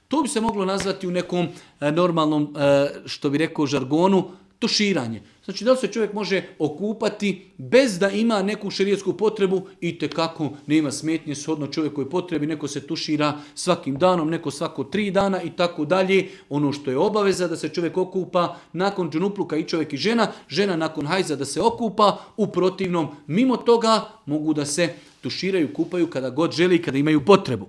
To bi se moglo nazvati u nekom normalnom, što bi rekao, žargonu, tuširanje. Znači da li se čovjek može okupati bez da ima neku šerijetsku potrebu i tekako nema smetnje shodno čovjekoj potrebi, neko se tušira svakim danom, neko svako 3 dana i tako dalje. Ono što je obaveza da se čovjek okupa nakon džunupluka i čovjek i žena, žena nakon hajza da se okupa, u protivnom mimo toga mogu da se tuširaju, kupaju kada god želi i kada imaju potrebu.